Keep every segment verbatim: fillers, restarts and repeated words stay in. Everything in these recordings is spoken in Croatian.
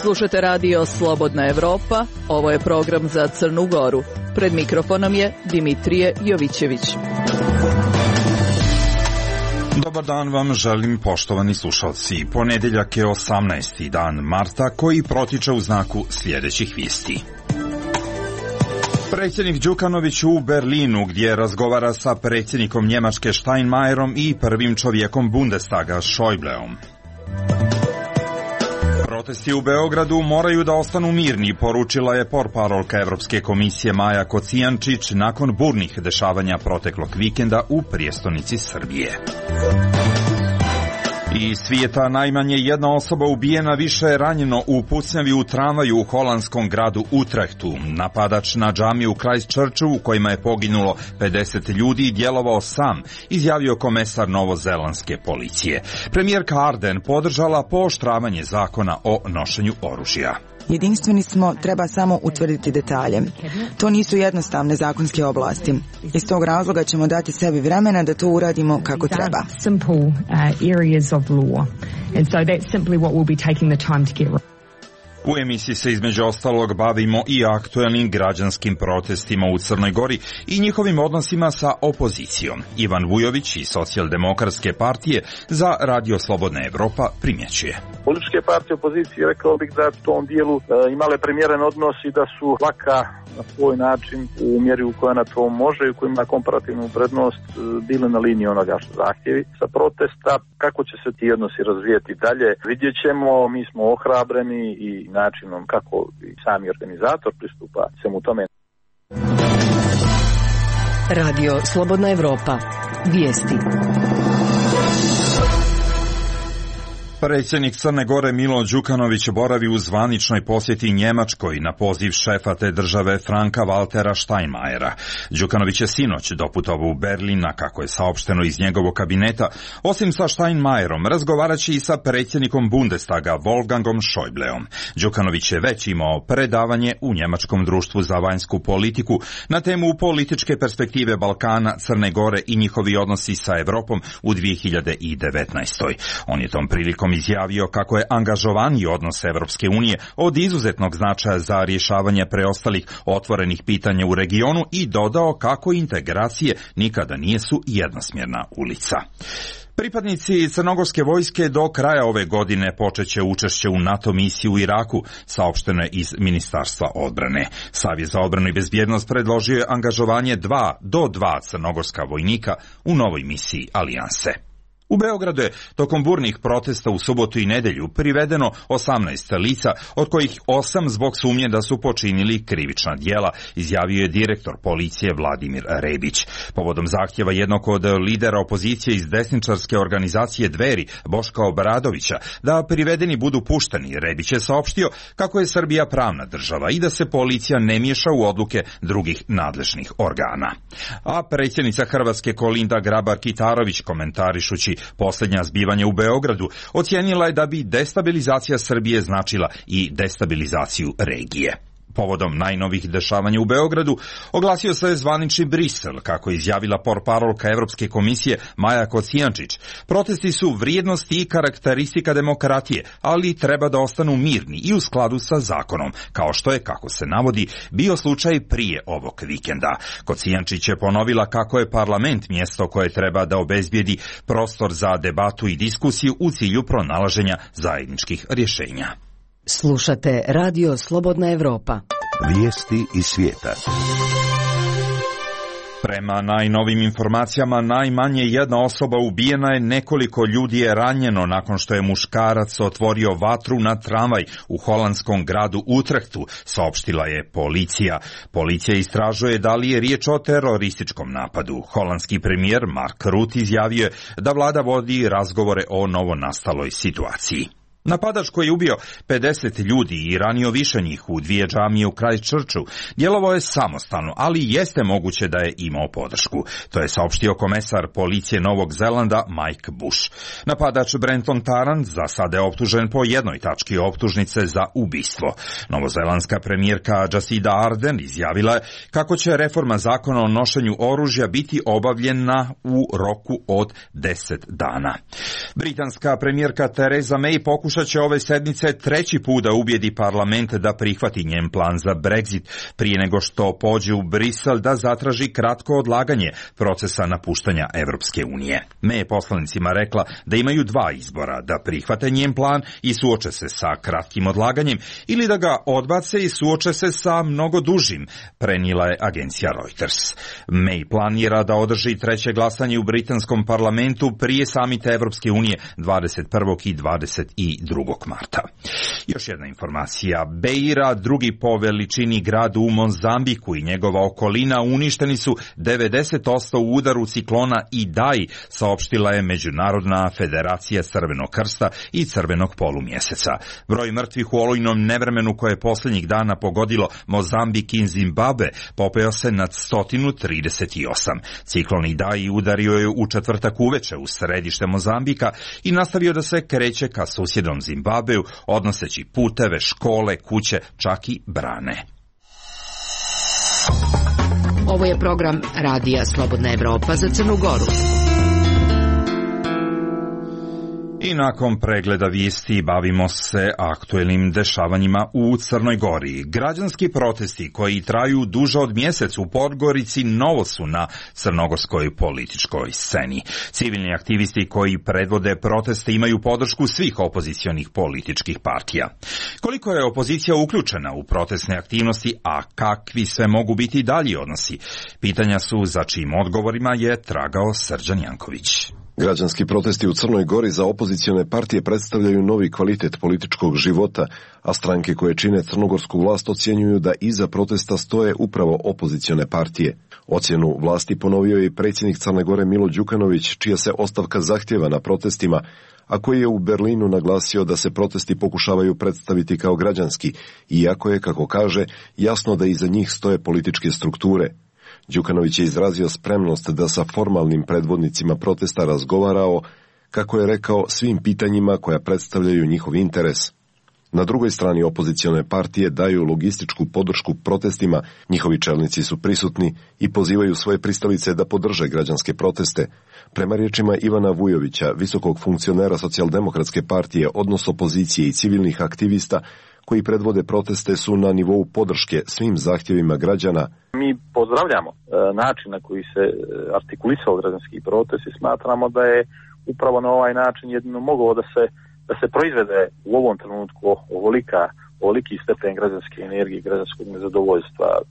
Slušate radio Slobodna Evropa, ovo je program za Crnu Goru. Pred mikrofonom je Dimitrije Jovićević. Dobar dan vam želim, poštovani slušalci. Ponedeljak je osamnaesti dan marta koji protiče u znaku sljedećih vijesti. Predsjednik Đukanović u Berlinu, gdje razgovara sa predsjednikom Njemačke Steinmeierom i prvim čovjekom Bundestaga Schäubleom. Protesti u Beogradu moraju da ostanu mirni, poručila je portparolka Evropske komisije Maja Kocijančić nakon burnih dešavanja proteklog vikenda u prijestolnici Srbije. Iz svijeta najmanje jedna osoba ubijena, više je ranjeno u pucnjavi u tramvaju u holandskom gradu Utrechtu. Napadač na džamiju u Christchurchu, u kojima je poginulo pedeset ljudi, djelovao sam, izjavio komesar novozelandske policije. Premijerka Ardern podržala pooštravanje zakona o nošenju oružja. Jedinstveni smo, treba samo utvrditi detalje. To nisu jednostavne zakonske oblasti. Iz tog razloga ćemo dati sebi vremena da to uradimo kako treba. U emisiji se između ostalog bavimo i aktuelnim građanskim protestima u Crnoj Gori i njihovim odnosima sa opozicijom. Ivan Vujović iz Socijaldemokratske partije za Radio Slobodna Evropa primjećuje. Političke partije opozicije, rekao bih da u tom dijelu e, imale primjeren odnos i da su laka na svoj način u mjeri u kojoj na to može i u kojoj ima komparativnu prednost e, bile na liniji onoga što zahtjevi sa protesta. Kako će se ti odnosi razvijeti dalje, vidjet ćemo. Mi smo ohrabreni i načinom kako i sami organizator pristupa svemu tome. Radio Slobodna Evropa. Vijesti. Predsjednik Crne Gore Milo Đukanović boravi u zvaničnoj posjeti Njemačkoj na poziv šefa te države Franka Waltera Steinmeiera. Đukanović je sinoć doputovao u Berlin, a kako je saopšteno iz njegovog kabineta, osim sa Steinmeierom razgovarat će i sa predsjednikom Bundestaga Wolfgangom Schäubleom. Đukanović je već imao predavanje u Njemačkom društvu za vanjsku politiku na temu političke perspektive Balkana, Crne Gore i njihovi odnosi sa Evropom u dvije hiljade devetnaestoj. On je tom prilikom izjavio kako je angažovaniji odnos Evropske unije od izuzetnog značaja za rješavanje preostalih otvorenih pitanja u regionu i dodao kako integracije nikada nisu jednosmjerna ulica. Pripadnici crnogorske vojske do kraja ove godine počeće učešće u NATO misiji u Iraku, saopšteno je iz Ministarstva odbrane. Savjet za odbranu i bezbjednost predložio je angažovanje dva do dva crnogorska vojnika u novoj misiji alijanse. U Beogradu je tokom burnih protesta u subotu i nedjelju privedeno osamnaest lica, od kojih osam zbog sumnje da su počinili krivična djela, izjavio je direktor policije Vladimir Rebić. Povodom zahtjeva jednog od lidera opozicije iz desničarske organizacije Dveri, Boška Obradovića, da privedeni budu pušteni, Rebić je saopštio kako je Srbija pravna država i da se policija ne miješa u odluke drugih nadležnih organa. A predsjednica Hrvatske Kolinda Grabar-Kitarović, komentarišući posljednja zbivanja u Beogradu, ocijenila je da bi destabilizacija Srbije značila i destabilizaciju regije. Povodom najnovih dešavanja u Beogradu oglasio se zvanični Brisel, kako je izjavila portparolka Evropske komisije Maja Kocijančić. Protesti su vrijednosti i karakteristika demokratije, ali treba da ostanu mirni i u skladu sa zakonom, kao što je, kako se navodi, bio slučaj prije ovog vikenda. Kocijančić je ponovila kako je parlament mjesto koje treba da obezbijedi prostor za debatu i diskusiju u cilju pronalaženja zajedničkih rješenja. Slušate Radio Slobodna Evropa. Vijesti iz svijeta. Prema najnovim informacijama, najmanje jedna osoba ubijena je, nekoliko ljudi je ranjeno nakon što je muškarac otvorio vatru na tramvaj u holandskom gradu Utrechtu, saopštila je policija. Policija istražuje da li je riječ o terorističkom napadu. Holandski premijer Mark Rutte izjavio je da vlada vodi razgovore o novonastaloj situaciji. Napadač koji je ubio pedeset ljudi i ranio više njih u dvije džamije u Christchurchu djelovao je samostalno, ali jeste moguće da je imao podršku. To je saopštio komesar policije Novog Zelanda Mike Bush. Napadač Brenton Tarrant za sada je optužen po jednoj tački optužnice za ubistvo. Novozelandska premijerka Jacinda Ardern izjavila je kako će reforma zakona o nošenju oružja biti obavljena u roku od deset dana. Britanska premijerka Theresa May pokušala pokušat će ove sedmice treći put da ubijedi parlament da prihvati njen plan za Brexit, prije nego što pođe u Brisel da zatraži kratko odlaganje procesa napuštanja Evropske unije. May je poslanicima rekla da imaju dva izbora, da prihvate njen plan i suoče se sa kratkim odlaganjem ili da ga odbace i suoče se sa mnogo dužim, prenijela je agencija Reuters. May planira da održi treće glasanje u britanskom parlamentu prije samita Evropske unije dvadeset prvog i dvadeset drugog marta. Još jedna informacija. Beira, drugi po veličini grad u Mozambiku i njegova okolina uništeni su devedeset posto u udaru ciklona Idai, saopštila je Međunarodna federacija Crvenog krsta i Crvenog polumjeseca. Broj mrtvih u olujnom nevremenu koje je posljednjih dana pogodilo Mozambik i Zimbabwe popeo se nad sto trideset osam. Ciklon Idai udario je u četvrtak uveče u središte Mozambika i nastavio da se kreće ka susjednom Zimbabveu, odnoseći puteve, škole, kuće, čak i brane. Ovo je program Radija Slobodna Evropa za Crnu Goru. I nakon pregleda vijesti bavimo se aktuelnim dešavanjima u Crnoj Gori. Građanski protesti koji traju duže od mjesec u Podgorici novo su na crnogorskoj političkoj sceni. Civilni aktivisti koji predvode proteste imaju podršku svih opozicionih političkih partija. Koliko je opozicija uključena u protestne aktivnosti, a kakvi sve mogu biti dalji odnosi? Pitanja su za čijim odgovorima je tragao Srđan Janković. Građanski protesti u Crnoj Gori za opozicione partije predstavljaju novi kvalitet političkog života, a stranke koje čine crnogorsku vlast ocjenjuju da iza protesta stoje upravo opozicione partije. Ocjenu vlasti ponovio je i predsjednik Crne Gore Milo Đukanović, čija se ostavka zahtjeva na protestima, a koji je u Berlinu naglasio da se protesti pokušavaju predstaviti kao građanski, iako je, kako kaže, jasno da iza njih stoje političke strukture. Đukanović je izrazio spremnost da sa formalnim predvodnicima protesta razgovarao, kako je rekao, svim pitanjima koja predstavljaju njihov interes. Na drugoj strani opozicione partije daju logističku podršku protestima, njihovi čelnici su prisutni i pozivaju svoje pristalice da podrže građanske proteste. Prema riječima Ivana Vujovića, visokog funkcionera Socijaldemokratske partije, odnos opozicije i civilnih aktivista koji predvode proteste su na nivou podrške svim zahtjevima građana. Mi pozdravljamo e, način na koji se artikulisao građanski protest i smatramo da je upravo na ovaj način jedino mogao da se, da se proizvede u ovom trenutku ovolika, ovoliki stepen građanske energije i građanskog nezadovoljstva. E,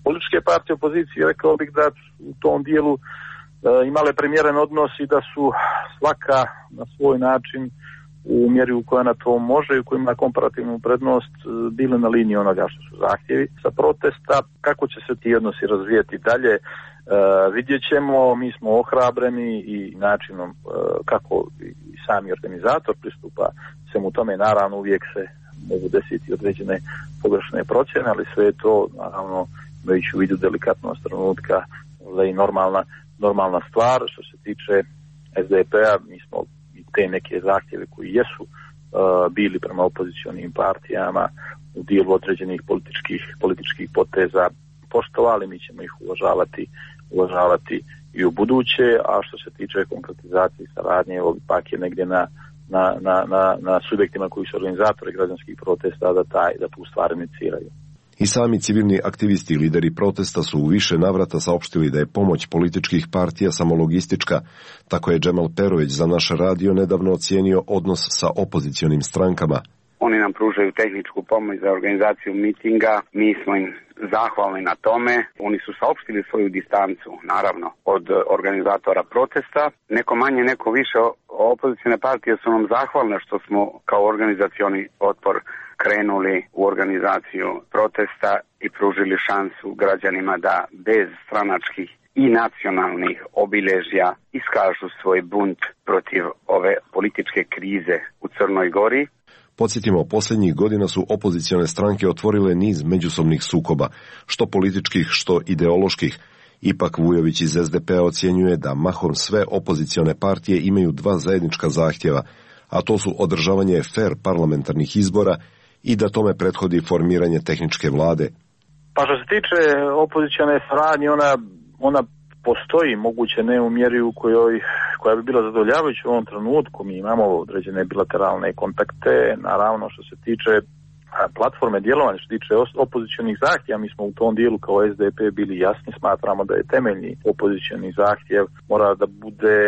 političke partije opozicije, rekao bih da u tom dijelu e, imale primjeren odnos i da su svaka na svoj način u mjeri u kojoj na to može i u kojoj ima komparativnu prednost bili na liniji onoga što su zahtjevi sa protesta. Kako će se ti odnosi razvijeti dalje, e, vidjet ćemo. Mi smo ohrabreni i načinom e, kako i sami organizator pristupa svemu tome. Naravno uvijek se mogu desiti određene pogrešne procjene, ali sve je to naravno imajući u vidu delikatnost trenutka i normalna, normalna stvar. Što se tiče es de pe-a, mi smo te neke zahtjeve koji jesu uh, bili prema opozicionim partijama u dijelu određenih političkih, političkih poteza poštovali, mi ćemo ih uvažavati, uvažavati i u buduće, a što se tiče konkretizacije saradnje, evo ipak je negdje na, na, na, na, na subjektima koji su organizatori građanskih protesta da, taj, da tu stvar iniciraju. I sami civilni aktivisti i lideri protesta su u više navrata saopštili da je pomoć političkih partija samo logistička. Tako je Džemal Perović za naš radio nedavno ocijenio odnos sa opozicionim strankama. Oni nam pružaju tehničku pomoć za organizaciju mitinga, mi smo im zahvalni na tome. Oni su saopštili svoju distancu, naravno, od organizatora protesta. Neko manje, neko više opozicione partije su nam zahvalne što smo kao organizacioni otpor krenuli u organizaciju protesta i pružili šansu građanima da bez stranačkih i nacionalnih obilježja iskažu svoj bunt protiv ove političke krize u Crnoj Gori. Podsjetimo, posljednjih godina su opozicione stranke otvorile niz međusobnih sukoba, što političkih, što ideoloških. Ipak Vujović iz es de pe-a ocjenjuje da mahom sve opozicione partije imaju dva zajednička zahtjeva, a to su održavanje fer parlamentarnih izbora i da tome prethodi formiranje tehničke vlade. Pa što se tiče opozicione saradnje, ona, ona postoji, moguće ne u mjeri u kojoj, koja bi bila zadovoljavajuća u ovom trenutku. Mi imamo određene bilateralne kontakte, naravno što se tiče platforme djelovanja, što se tiče opozicionih zahtjeva, mi smo u tom dijelu kao S D P bili jasni, smatramo da je temeljni opozicioni zahtjev mora da bude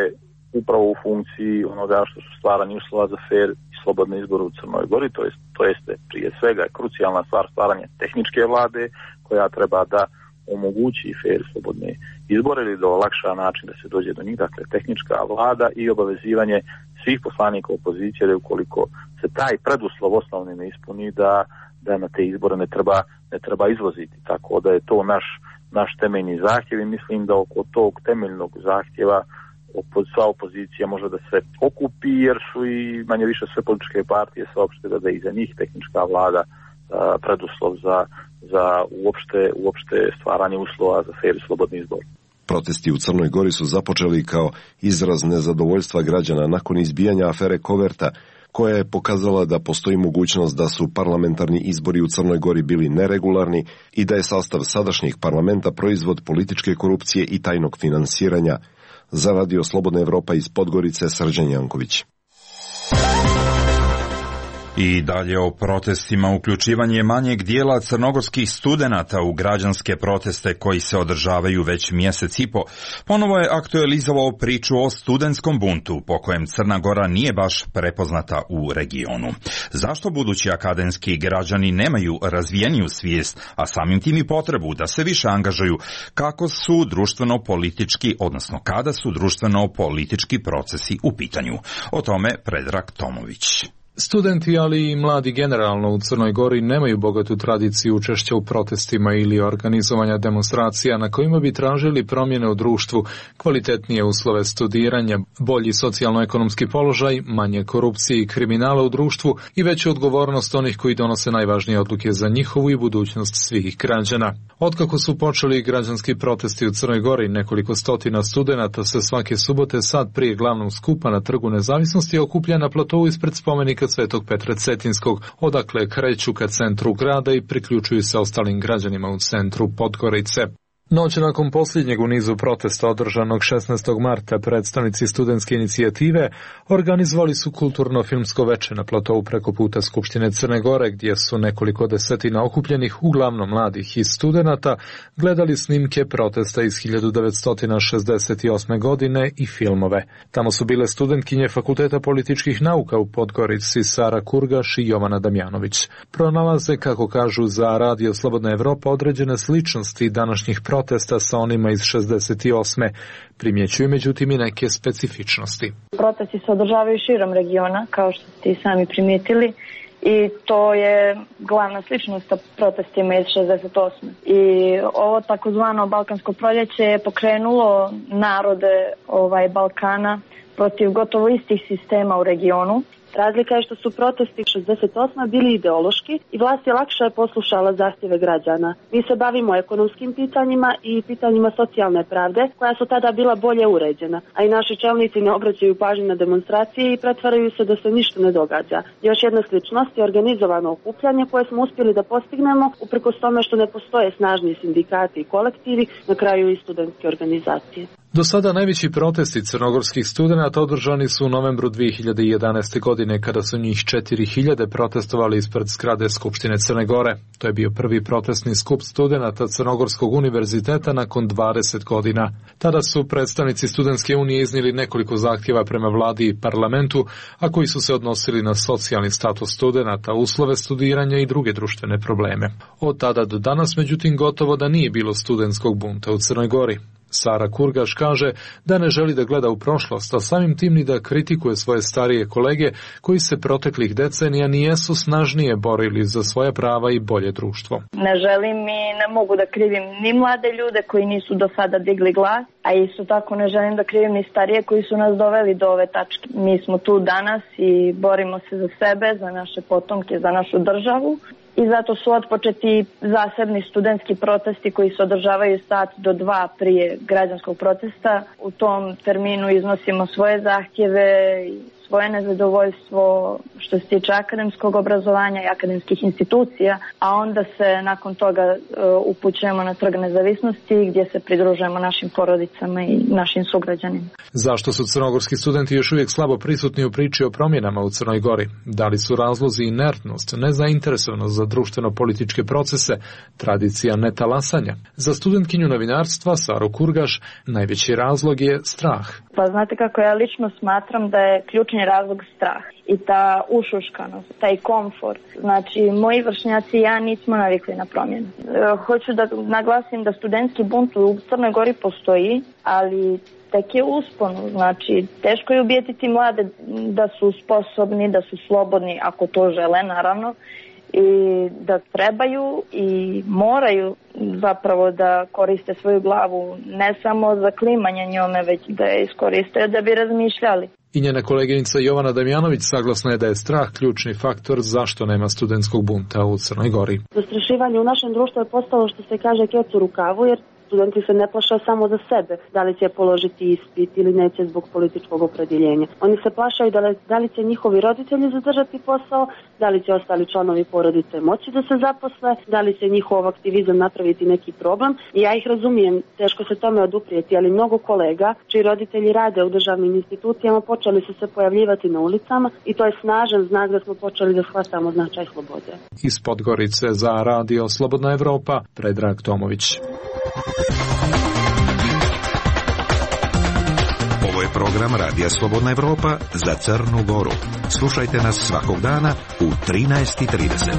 upravo u funkciji onoga što su stvaranje uslova za fer i slobodne izbore u Crnoj Gori, to jest, to jeste prije svega krucijalna stvar stvaranje tehničke vlade koja treba da omogući fer slobodne izbore ili da olakša način da se dođe do njih, dakle tehnička vlada i obavezivanje svih poslanika opozicije da ukoliko se taj preduslov osnovni ne ispuni da, da na te izbore ne treba, ne treba izvoziti. Tako da je to naš, naš temeljni zahtjev i mislim da oko tog temeljnog zahtjeva sva opozicija može da se okupi jer su i manje više sve političke partije saopštile da je iza njih tehnička vlada a, preduslov za, za uopšte, uopšte stvaranje uslova za fer i slobodni izbor. Protesti u Crnoj Gori su započeli kao izraz nezadovoljstva građana nakon izbijanja afere Koverta, koja je pokazala da postoji mogućnost da su parlamentarni izbori u Crnoj Gori bili neregularni i da je sastav sadašnjih parlamenta proizvod političke korupcije i tajnog finansiranja. Za Radio Slobodna Evropa iz Podgorice, Srđan Janković. I dalje o protestima. Uključivanje manjeg dijela crnogorskih studenata u građanske proteste koji se održavaju već mjesec i po ponovo je aktualizovao priču o studentskom buntu po kojem Crna Gora nije baš prepoznata u regionu. Zašto budući akademski građani nemaju razvijeniju svijest, a samim tim i potrebu da se više angažuju kako su društveno-politički, odnosno kada su društveno-politički procesi u pitanju? O tome Predrag Tomović. Studenti, ali i mladi generalno u Crnoj Gori nemaju bogatu tradiciju učešća u protestima ili organizovanja demonstracija na kojima bi tražili promjene u društvu, kvalitetnije uslove studiranja, bolji socijalno-ekonomski položaj, manje korupcije i kriminala u društvu i veću odgovornost onih koji donose najvažnije odluke za njihovu i budućnost svih građana. Otkako su počeli građanski protesti u Crnoj Gori, nekoliko stotina studenata se svake subote sad prije glavnog skupa na Trgu Nezavisnosti okuplja na platovu ispred spomenika Svetog Petra Cetinskog, odakle kreću ka centru grada i priključuju se ostalim građanima u centru Podgorice. Noć nakon posljednjeg u nizu protesta održanog šesnaestog marta predstavnici studentske inicijative organizovali su kulturno-filmsko veče na platovu preko puta Skupštine Crne Gore, gdje su nekoliko desetina okupljenih, uglavnom mladih i studenata, gledali snimke protesta iz hiljadu devetsto šezdeset osme. godine i filmove. Tamo su bile studentkinje Fakulteta političkih nauka u Podgorici Sara Kurgaš i Jovana Damjanović. Pronalaze, kako kažu za Radio Slobodna Evropa, određene sličnosti današnjih protesta protesta sa onima iz šezdeset osme. Primjećuju međutim i neke specifičnosti. Protesti se održavaju širom regiona, kao što ste i sami primijetili, i to je glavna sličnost sa protestima iz šezdeset osme. I ovo takozvano Balkansko proljeće je pokrenulo narode ovaj Balkana protiv gotovo istih sistema u regionu. Razlika je što su protesti šezdeset osme bili ideološki i vlast je lakše poslušala zahtjeve građana. Mi se bavimo ekonomskim pitanjima i pitanjima socijalne pravde, koja su tada bila bolje uređena, a i naši čelnici ne obraćaju pažnju na demonstracije i pretvaraju se da se ništa ne događa. Još jedna sličnost je organizovano okupljanje koje smo uspjeli da postignemo uprkos tome što ne postoje snažni sindikati i kolektivi, na kraju i studentske organizacije. Do sada najveći protesti crnogorskih studenata održani su u novembru dvije hiljade jedanaeste. godine, kada su njih četiri hiljade protestovali ispred zgrade Skupštine Crne Gore. To je bio prvi protestni skup studenata Crnogorskog univerziteta nakon dvadeset godina. Tada su predstavnici Studentske unije iznijeli nekoliko zahtjeva prema vladi i parlamentu, a koji su se odnosili na socijalni status studenata, uslove studiranja i druge društvene probleme. Od tada do danas, međutim, gotovo da nije bilo studentskog bunta u Crnoj Gori. Sara Kurgaš kaže da ne želi da gleda u prošlost, a samim tim ni da kritikuje svoje starije kolege koji se proteklih decenija nijesu snažnije borili za svoja prava i bolje društvo. Ne želim i ne mogu da krivim ni mlade ljude koji nisu do sada digli glas, a isto tako ne želim da krivim ni starije koji su nas doveli do ove tačke. Mi smo tu danas i borimo se za sebe, za naše potomke, za našu državu. I zato su otpočeti zasebni studentski protesti koji se održavaju sat do dva prije građanskog protesta. U tom terminu iznosimo svoje zahtjeve i svoje nezadovoljstvo što se tiče akademskog obrazovanja i akademskih institucija, a onda se nakon toga uh, upućujemo na Trg nezavisnosti gdje se pridružujemo našim porodicama i našim sugrađanima. Zašto su crnogorski studenti još uvijek slabo prisutni u priči o promjenama u Crnoj Gori? Da li su razlozi inertnost, nezainteresovanost za društveno-političke procese, tradicija netalasanja? Za studentkinju novinarstva Saru Kurgaš najveći razlog je strah. Pa znate kako ja lično smatram da je ključni razlog strah i ta ušuškanost, taj komfort. Znači, moji vršnjaci i ja nismo navikli na promjenu. E, hoću da naglasim da studentski bunt u Crnoj Gori postoji, ali tek je usponu. Znači, teško je ubijetiti mlade da su sposobni, da su slobodni, ako to žele, naravno, i da trebaju i moraju zapravo da koriste svoju glavu, ne samo za klimanje njome, već da je iskoriste da bi razmišljali. I njena koleginica Jovana Damjanović saglasna je da je strah ključni faktor zašto nema studentskog bunta u Crnoj Gori. Zastrašivanje u našem društvu je postalo, što se kaže, kec u rukavu, jer studenti se ne plaše samo za sebe, da li će položiti ispit ili neće zbog političkog opredjeljenja. Oni se plašaju da li, da li će njihovi roditelji zadržati posao, da li će ostali članovi porodice moći da se zaposle, da li će njihov aktivizam napraviti neki problem. I ja ih razumijem, teško se tome oduprijeti, ali mnogo kolega čiji roditelji rade u državnim institucijama počeli su se pojavljivati na ulicama i to je snažan znak da smo počeli da shvatamo značaj slobode. Iz Podgorice za Radio Slobodna Evropa, Predrag Tomović. Ovo je program Radija Slobodna Evropa za Crnu Goru. Slušajte nas svakog dana u trinaest i trideset.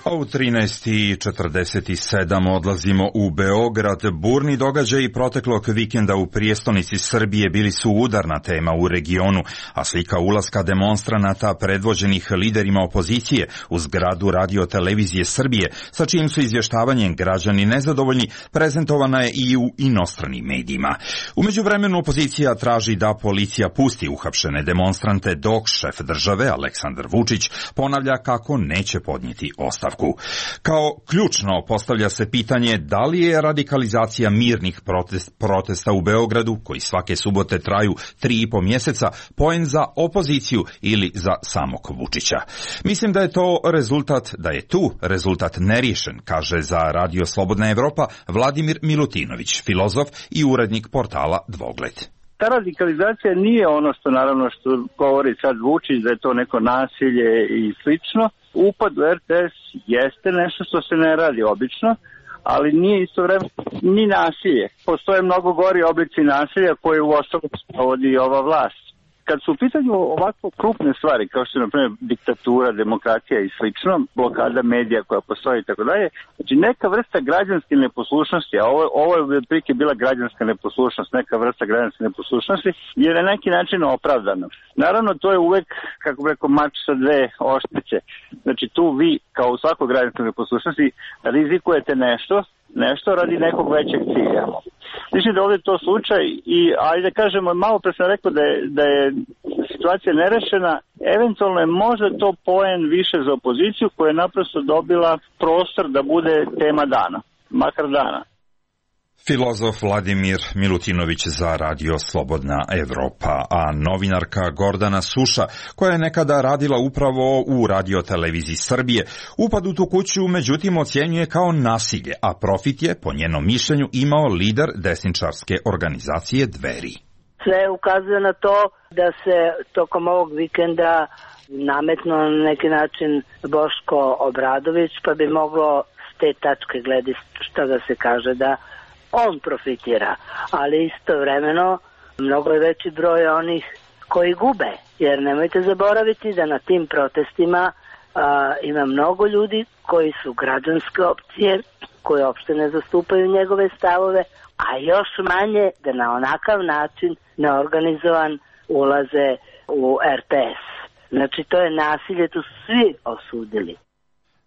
A u trinaest i četrdeset sedam odlazimo u Beograd. Burni događaji proteklog vikenda u prijestolnici Srbije bili su udarna tema u regionu, a slika ulaska demonstranata predvođenih liderima opozicije u zgradu Radio televizije Srbije, sa čijim su izvještavanjem građani nezadovoljni, prezentovana je i u inostranim medijima. U međuvremenu opozicija traži da policija pusti uhapšene demonstrante, dok šef države Aleksandar Vučić ponavlja kako neće podnijeti ostavku. Kao ključno postavlja se pitanje da li je radikalizacija mirnih protest, protesta u Beogradu, koji svake subote traju tri i po mjeseca, poen za opoziciju ili za samog Vučića. Mislim da je to rezultat, da je tu rezultat neriješen, kaže za Radio Slobodna Evropa Vladimir Milutinović, filozof i urednik portala Dvogled. Ta radikalizacija nije ono što naravno što govori sad Vučić, da je to neko nasilje i slično. Upad u R T S jeste nešto što se ne radi obično, ali nije istovremeno ni nasilje. Postoje mnogo gori oblici nasilja koje u osnovu sprovodi i ova vlast. Kad su u pitanju ovako krupne stvari, kao što je, na primjer, diktatura, demokracija i slično, blokada medija koja postoji i tako dalje, znači neka vrsta građanske neposlušnosti, a ovo, ovo je prike bila građanska neposlušnost, neka vrsta građanske neposlušnosti, je na neki način opravdana. Naravno, to je uvek, kako bi rekao, mač sa dve oštrice. Znači tu vi, kao u svakoj građanskoj neposlušnosti, rizikujete nešto, nešto radi nekog većeg cilja. Mislim da ovdje je to slučaj i, ajde da kažemo, malo pre sam rekao da je, da je situacija nerešena, eventualno je možda to poen više za opoziciju koja je naprosto dobila prostor da bude tema dana, makar dana. Filozof Vladimir Milutinović za Radio Slobodna Evropa, a novinarka Gordana Suša, koja je nekada radila upravo u Radio televiziji Srbije, upad u tu kuću međutim ocjenjuje kao nasilje, a profit je, po njenom mišljenju, imao lider desničarske organizacije Dveri. Sve ukazuje na to da se tokom ovog vikenda nametno na neki način Boško Obradović, pa bi moglo s te tačke gledišta da se kaže da on profitira, ali istovremeno mnogo je veći broj onih koji gube, jer nemojte zaboraviti da na tim protestima a, ima mnogo ljudi koji su građanske opcije, koji uopšte ne zastupaju njegove stavove, a još manje da na onakav način neorganizovan ulaze u R T S. Znači to je nasilje, to su svi osudili.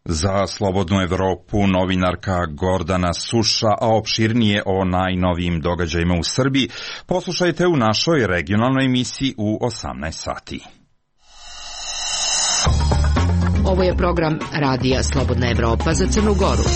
Za Slobodnu Evropu novinarka Gordana Suša, a opširnije o najnovijim događajima u Srbiji poslušajte u našoj regionalnoj emisiji u osamnaest sati. Ovo je program Radija Slobodna Evropa za Crnu Goru.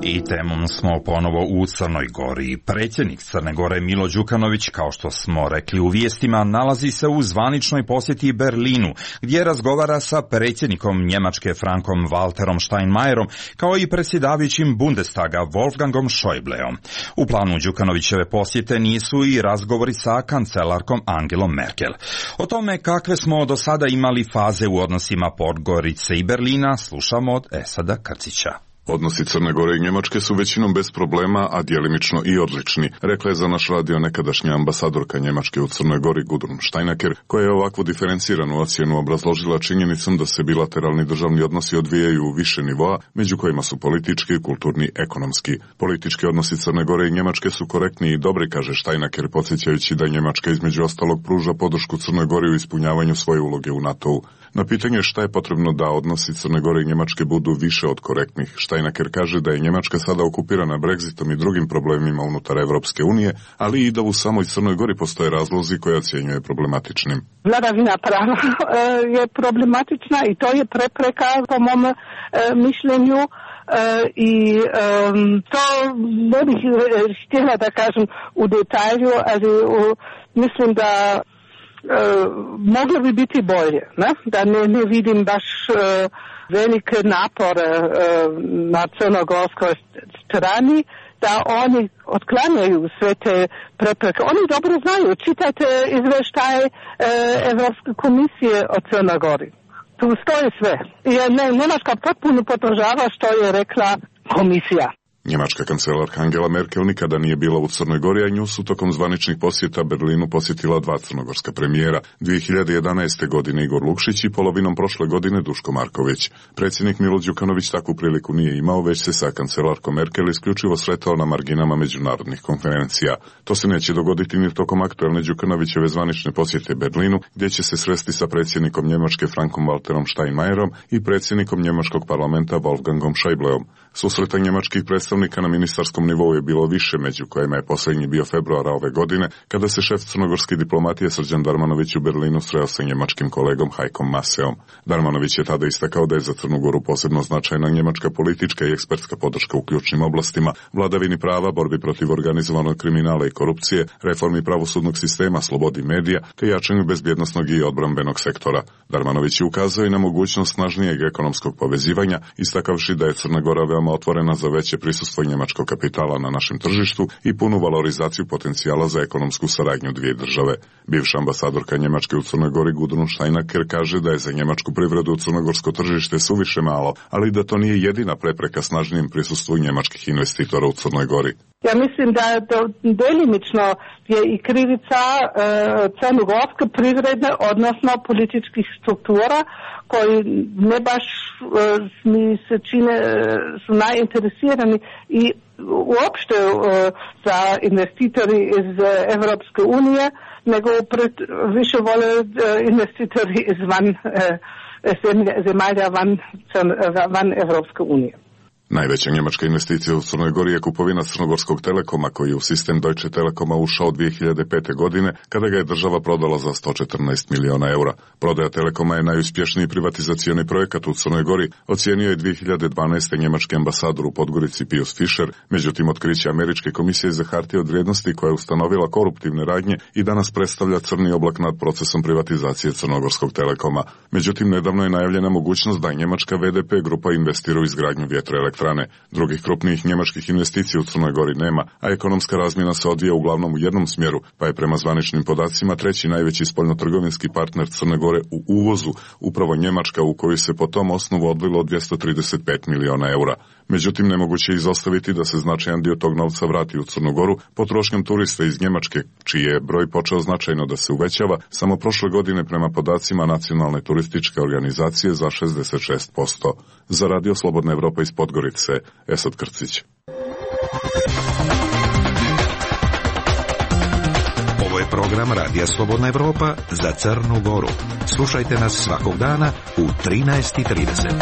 I temom smo ponovo u Crnoj Gori. Predsjednik Crne Gore Milo Đukanović, kao što smo rekli u vijestima, nalazi se u zvaničnoj posjeti Berlinu, gdje razgovara sa predsjednikom Njemačke Frankom Walterom Steinmeierom, kao i predsjedavajućim Bundestaga Wolfgangom Schäubleom. U planu Đukanovićeve posjete nisu i razgovori sa kancelarkom Angelom Merkel. O tome kakve smo do sada imali faze u odnosima Podgorice i Berlina slušamo od Esada Krcića. Odnosi Crne Gore i Njemačke su većinom bez problema, a djelimično i odlični, rekla je za naš radio nekadašnja ambasadorka Njemačke u Crnoj Gori Gudrun Steinacker, koja je ovakvu diferenciranu ocjenu obrazložila činjenicom da se bilateralni državni odnosi odvijaju u više nivoa, među kojima su politički, kulturni, ekonomski. Politički odnosi Crne Gore i Njemačke su korektni i dobri, kaže Steinacker, podsjećajući da Njemačka između ostalog pruža podršku Crnoj Gori u ispunjavanju svoje uloge u NATO-u. Na pitanje šta je potrebno da odnosi Crne Gore i Njemačke budu više od korektnih, Steinacker kaže da je Njemačka sada okupirana Brexitom i drugim problemima unutar Evropske unije, ali i da u samoj Crnoj Gori postoje razlozi koje ocjenjuje problematičnim. Vladavina prava je problematična i to je prepreka po mom e, mišljenju e, i e, to ne bih htjela da kažem u detalju, ali u, mislim da E, moglo bi biti bolje, ne? Da ne, ne vidim baš e, velike napore e, na crnogorskoj strani, da oni otklanjaju sve te prepreke. Oni dobro znaju, čitajte izvještaj e, Evropske komisije o Crnoj Gori. Tu stoji sve. I ne, Njemačka potpuno podržava što je rekla komisija. Njemačka kancelarka Angela Merkel nikada nije bila u Crnoj Gori, a nju su tokom zvaničnih posjeta Berlinu posjetila dva crnogorska premijera, dvije hiljade jedanaeste. godine Igor Lukšić i polovinom prošle godine Duško Marković. Predsjednik Milo Đukanović takvu priliku nije imao, već se sa kancelarkom Merkel isključivo sretao na marginama međunarodnih konferencija. To se neće dogoditi ni tokom aktualne Đukanovićeve zvanične posjete Berlinu, gdje će se sresti sa predsjednikom Njemačke Frankom Walterom Steinmeierom i predsjednikom Njemačkog parlamenta Wolfgangom Schäubleom. Susreta njemačkih predstavnika na ministarskom nivou je bilo više, među kojima je posljednji bio februara ove godine, kada se šef crnogorske diplomatije Srđan Darmanović u Berlinu sreo sa njemačkim kolegom Hajkom Maseom. Darmanović je tada istakao da je za Crnu Goru posebno značajna njemačka politička i ekspertska podrška u ključnim oblastima, vladavini prava, borbi protiv organizovanog kriminala i korupcije, reformi pravosudnog sistema, slobodi medija, te jačanju bezbjednosnog i odbrambenog sektora. Darmanović je ukazao i na mogućnost snažnijeg ekonomskog povezivanja, istakavši da je Crna Gora veoma otvorena za veće prisustvo njemačkog kapitala na našem tržištu i punu valorizaciju potencijala za ekonomsku saradnju dvije države. Bivša ambasadorka Njemačke u Crnoj Gori Gudrun Steinacker kaže da je za njemačku privredu u crnogorsko tržište suviše malo, ali da to nije jedina prepreka snažnijem prisustvu njemačkih investitora u Crnoj Gori. Ja mislim da to delimično je i krivica e, crnogorske privredne, odnosno političkih struktura koji ne baš e, mi se čine e, su najinteresirani i uopšte e, za investitori iz Evropske unije, nego pred, više vole e, investitori izvan e, zemalja van, van Evropske unije. Najveća njemačka investicija u Crnoj Gori je kupovina Crnogorskog Telekoma, koji je u sistem Deutsche Telekoma ušao dvije hiljade pete. godine, kada ga je država prodala za sto četrnaest miliona eura. Prodaja Telekoma je najuspješniji privatizacioni projekat u Crnoj Gori, ocijenio je dvije hiljade dvanaeste. njemački ambasador u Podgorici Pius Fischer, međutim otkriće Američke komisije za hartije od vrijednosti koja je ustanovila koruptivne radnje i danas predstavlja crni oblak nad procesom privatizacije Crnogorskog Telekoma. Međutim, nedavno je najavljena mogućnost da njemačka V D P grupa investira u izgradnju vjetroelektrane. Drugih krupnijih njemačkih investicija u Crnoj Gori nema, a ekonomska razmjena se odvija uglavnom u jednom smjeru, pa je prema zvaničnim podacima treći najveći spoljnotrgovinski partner Crne Gore u uvozu upravo Njemačka, u koju se po tom osnovu odlilo dvjesto trideset pet miliona eura. Međutim, nemoguće je izostaviti da se značajan dio tog novca vrati u Crnu Goru potrošnjom turista iz Njemačke, čiji je broj počeo značajno da se uvećava samo prošle godine prema podacima Nacionalne turističke organizacije za šezdeset šest posto. Za Radio Slobodna Evropa iz Podgorice, Esad Krcić. Ovo je program Radija Slobodna Evropa za Crnu Goru. Slušajte nas svakog dana u trinaest i trideset.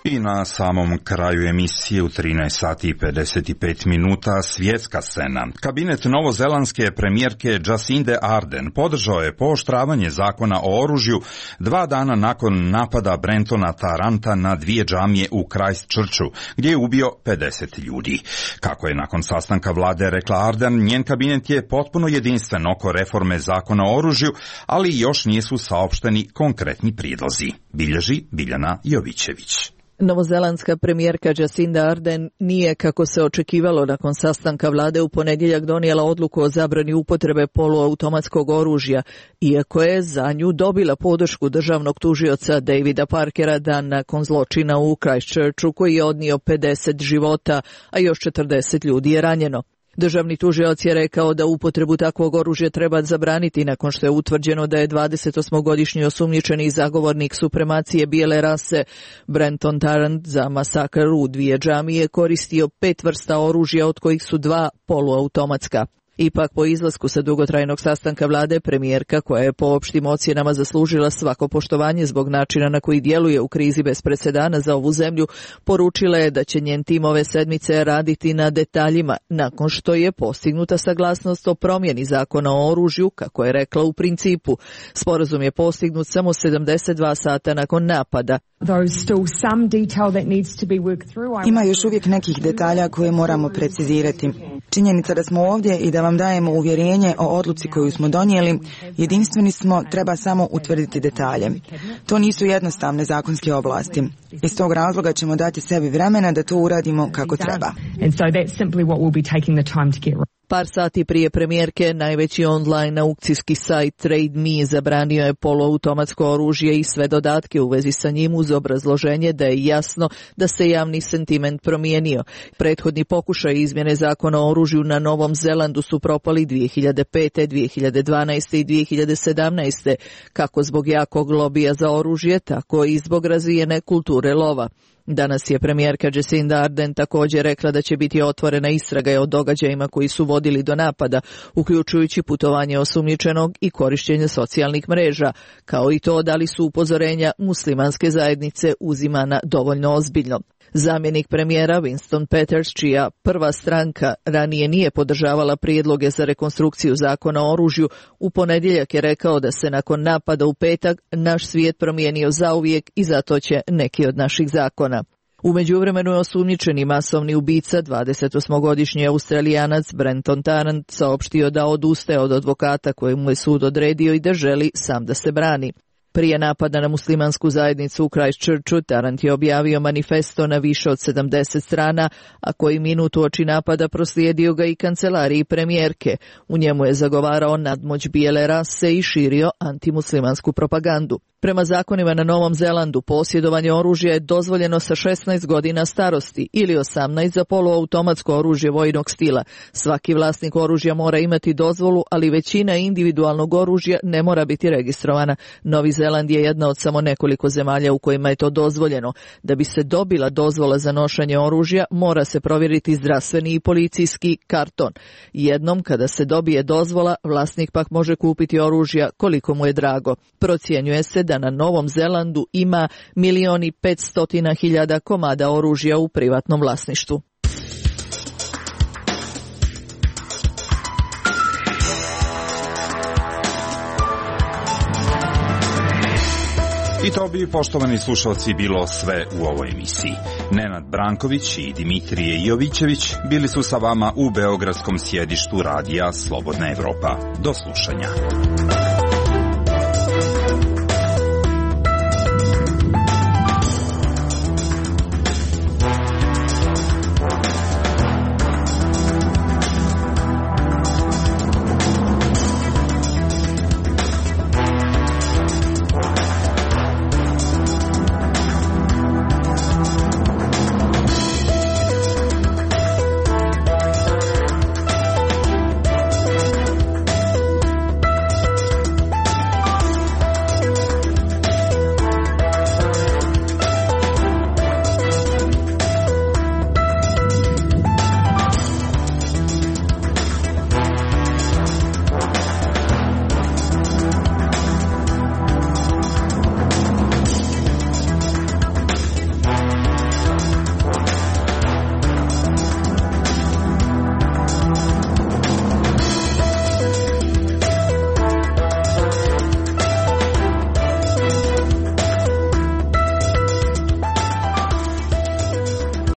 I na samom kraju emisije u trinaest sati i pedeset pet minuta svjetska scena. Kabinet novozelandske premijerke Jacinde Ardern podržao je pooštravanje zakona o oružju dva dana nakon napada Brentona Taranta na dvije džamije u Christchurchu, gdje je ubio pedeset ljudi. Kako je nakon sastanka vlade rekla Ardern, njen kabinet je potpuno jedinstven oko reforme zakona o oružju, ali još nisu saopšteni konkretni prijedlozi. Bilježi Biljana Jovićević. Novozelandska premijerka Jacinda Ardern nije, kako se očekivalo nakon sastanka vlade u ponedjeljak, donijela odluku o zabrani upotrebe poluautomatskog oružja, iako je za nju dobila podršku državnog tužioca Davida Parkera dan nakon zločina u Christchurchu koji je odnio pedeset života, a još četrdeset ljudi je ranjeno. Državni tužioc je rekao da upotrebu takvog oružja treba zabraniti nakon što je utvrđeno da je dvadesetosmogodišnji osumnjičeni zagovornik supremacije bijele rase Brenton Tarrant za masakr u dvije džamije koristio pet vrsta oružja, od kojih su dva poluautomatska. Ipak, po izlasku sa dugotrajnog sastanka vlade, premijerka, koja je po opštim ocjenama zaslužila svako poštovanje zbog načina na koji djeluje u krizi bez presedana za ovu zemlju, poručila je da će njen tim ove sedmice raditi na detaljima nakon što je postignuta saglasnost o promjeni zakona o oružju, kako je rekla u principu. Sporazum je postignut samo sedamdeset dva sata nakon napada. Ima još uvijek nekih detalja koje moramo precizirati. Činjenica da smo ovdje i da vam dajemo uvjerenje o odluci koju smo donijeli, jedinstveni smo, treba samo utvrditi detalje. To nisu jednostavne zakonske oblasti. Iz tog razloga ćemo dati sebi vremena da to uradimo kako treba. Par sati prije premijerke, najveći online aukcijski sajt Trade Me zabranio je poluautomatsko oružje i sve dodatke u vezi sa njim uz obrazloženje da je jasno da se javni sentiment promijenio. Prethodni pokušaj izmjene zakona o oružju na Novom Zelandu su propali dvije hiljade pete, dvije hiljade dvanaeste i dvije hiljade sedamnaeste, kako zbog jakog lobija za oružje, tako i zbog razvijene kulture lova. Danas je premijerka Jacinda Ardern također rekla da će biti otvorena istraga o događajima koji su vodili do napada, uključujući putovanje osumnjičenog i korištenje socijalnih mreža, kao i to da li su upozorenja muslimanske zajednice uzimana dovoljno ozbiljno. Zamjenik premijera Winston Peters, čija prva stranka ranije nije podržavala prijedloge za rekonstrukciju zakona o oružju, u ponedjeljak je rekao da se nakon napada u petak naš svijet promijenio zauvijek i zato će neki od naših zakona. U međuvremenu je osumnjičeni masovni ubica, dvadesetosmogodišnji Australijanac Brenton Tarrant, saopštio da odustaje od advokata kojemu je sud odredio i da želi sam da se brani. Prije napada na muslimansku zajednicu u Christchurchu, Tarrant je objavio manifesto na više od sedamdeset strana, a koji minut uoči napada proslijedio ga i kancelariji premijerke. U njemu je zagovarao nadmoć bijele rase i širio antimuslimansku propagandu. Prema zakonima na Novom Zelandu, posjedovanje oružja je dozvoljeno sa šesnaest godina starosti ili osamnaest za poluautomatsko oružje vojnog stila. Svaki vlasnik oružja mora imati dozvolu, ali većina individualnog oružja ne mora biti registrovana. Novi Zeland je jedna od samo nekoliko zemalja u kojima je to dozvoljeno. Da bi se dobila dozvola za nošenje oružja, mora se provjeriti zdravstveni i policijski karton. Jednom kada se dobije dozvola, vlasnik pak može kupiti oružja koliko mu je drago. Procjenjuje se da na Novom Zelandu ima milion i petstotina hiljada komada oružja u privatnom vlasništvu. I to bi, poštovani slušalci, bilo sve u ovoj emisiji. Nenad Branković i Dimitrije Jovićević bili su sa vama u beogradskom sjedištu radija Slobodna Evropa. Do slušanja.